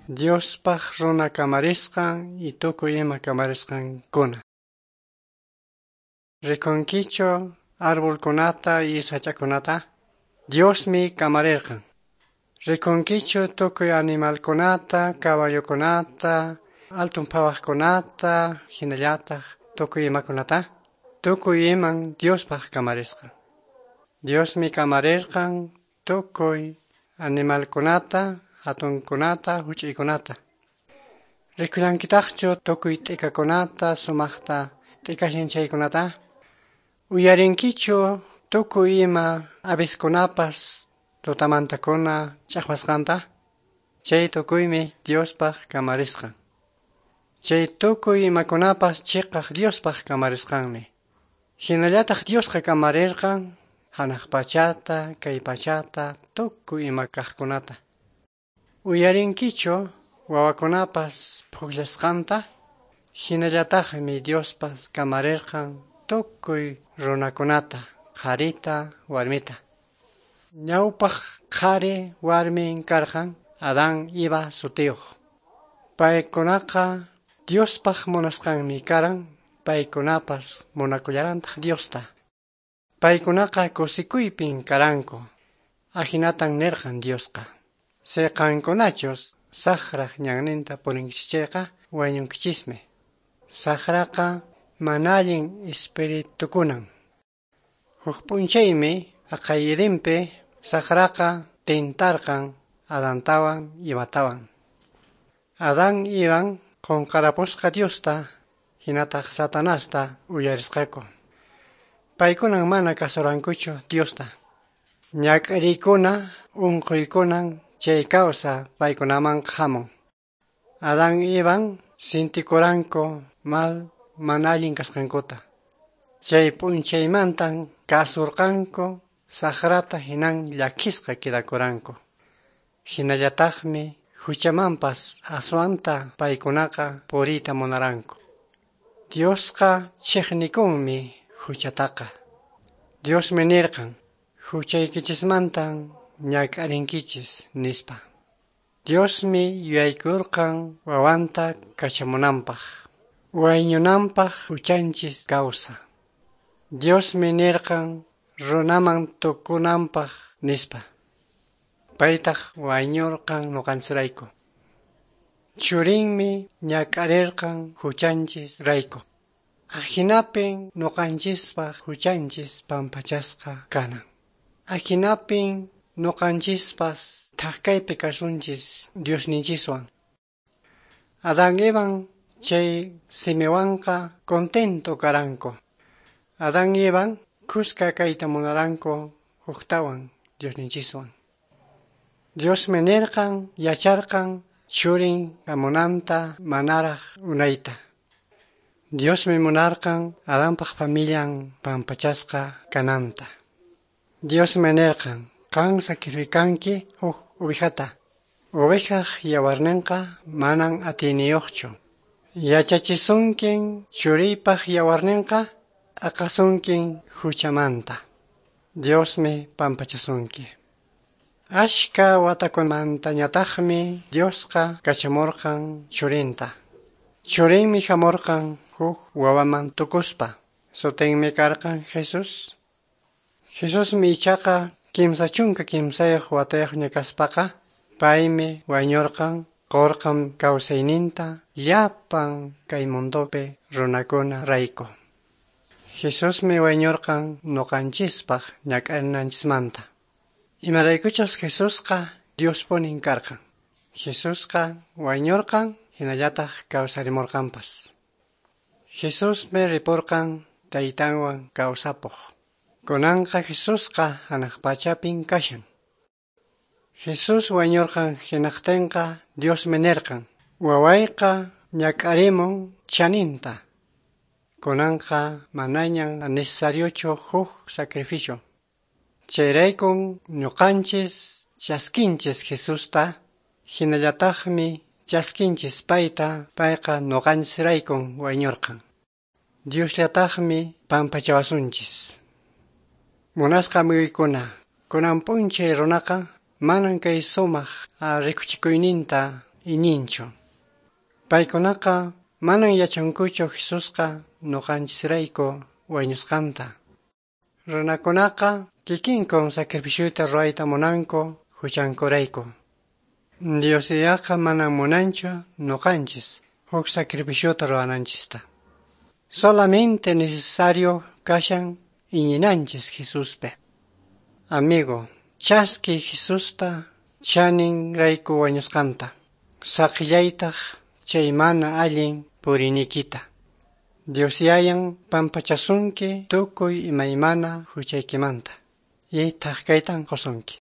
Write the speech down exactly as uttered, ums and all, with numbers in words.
Diospaq runa kamarisqan y tukuy ima kamarisqankuna. Rikunkichu arbolkunata y sach'akunata? Diosmi kamarirqan. Rikunkichu tukuy animalkunata, caballokunata, altun phawaqkunata, hinallataq tukuy imakunata? Tukuy iman Diospaq kamarisqan. Diosmi kamarirqan tukuy animalkunata, hatunkunata, huch'uykunata. Rikullankitaqchu tukuy t'ikakunata, sumaqta t'ikashan chaykunata? Uyarinkichu tukuy ima aviskunapas tutamantakuna ch'aqwasqanta? Chay tukuymi Diospaq kamarisqan. Chay tukuy imakunapas chiqaq Diospaq kamarisqanmi. Hinallataq Diosqa kamarirqan hanaq pachata, kay pachata, tukuy ima kaqkunata. Uyarinkichu wawakunapas pukllasqanta? Hinallataqmi Diospas kamarirqan tukuy runakunata, qharita, warmita. Ñawpaq qhari warmin karqan Adán Eva sutiyuq. Paykunaqa Diospaq munasqanmi karan, paykunapas munakullarantaq Diosta. Paykunaqa kusikuypin karanku. Ahinatan nirqan Diosqa. Siqankunachus saqraq ñanninta purinkichis chayqa wañunkichismi. Saqraqa mana allin espiritukunan. Huk p'unchaymi haqay Edenpi saqraqa tintarqan Adantawan Evatawan. Adán Evan qunqarapusqa Diosta hinataq Satanasta uyarisqaku. Paykunan mana kasurankuchu Diosta. Ñak'ariykuna unquykunan chay kawsa paykunaman hamun. Adán Evan sintikuranku mal mana allin kasqankuta. Chay p'unchaymantan kasurqanku saqrata hinan llakisqa quedakuranku. Hinallataqmi huchamanpas aswanta paykunaqa puriyta munaranku. Diosqa chiqnikunmi huchataqa. Diosmi nirqan, huchaykichismantan ñak'arinkichis nispa. Diosmi yuyaykurqan wawanta kachamunanpaq, wañunanpaq huchanchis kawsa. Diosmi nirqan runaman tukunanpaq nispa. Paytaq wañurqan ñuqanchisrayku. Churinmi ñak'arirqan huchanchis rayku. Ahinapin ñuqanchispaq huchanchis pampachasqa kanan. Ahinapin ñuqanchispas thakaypi kasunchis Diosninchiswan. Adán Evan chay simiwanqa contento karanku. Adán Evan kuska kayta munaranku huktawan Diosninchiswan. Diosmi nirqan yacharqan churin hamunanta manaraq unayta. Diosmi munarqan Adanpaq familian pampachasqa kananta. Diosmi nirqan qan sacrificanki huk ovejata. Ovejaq yawarninqa manan atiyniyuqchu. Yachachisunkin churiypaq yawarninqa aqasunkin huchamanta. Diosmi pampachasunki. Ashka watakunamantañataqmi Diosqa kachamurqan churinta. Churinmi hamurqan huk wawaman tukuspa. Sutinmi karqan Jesús. Jesusmi ichaqa kimsa chunka kimsayuq watayuqña kaspaqa paymi wañurqan qurqan kawsayninta llapan kay mundopi runakuna rayku. Jesusmi wañurqan ñuqanchispaq ñak'arinanchismanta. Imaraykuchus Jesusqa Diospunin karqan. Jesusqa wañurqan hinallataq kawsarimurqanpas. Jesusmi ripurqan taytanwan kawsapuq. Kunanqa Jesusqa hanaq pachapin kashan. Jesús wañurqan hinaqtinqa Diosmi nirqan, wawayqa ñak'arimun chaninta. Kunanqa manañan necesariochu huk sacrificio. Chayraykun ñuqanchis chaskinchis Jesusta, hinallataqmi chaskinchis payta, payqa ñuqanchisraykun wañurqan. Diosllataqmi pampachawasunchis. Munasqa amiguykuna, kunan p'unchay runaqa manan kay sumaq rikuchikuyninta iñinchu. Paykunaqa manan yachankuchu Jesusqa ñuqanchisrayku wañusqanta. Runakunaqa kikinkun sacrificiota ruwayta munanku huchankurayku. Dios Yayaqa manan munanchu ñuqanchis huk sacrificiota ruwananchista. Solamente necesario kashan iñinanchis Jesuspi. Amigo, chaski Jesusta chanin rayku wañusqanta. Saqillaytaq chay mana allin puriyniykita. Dios Yayan pampachasunki tukuy imaymana huchaykimanta. Y thak kaytan qusunki.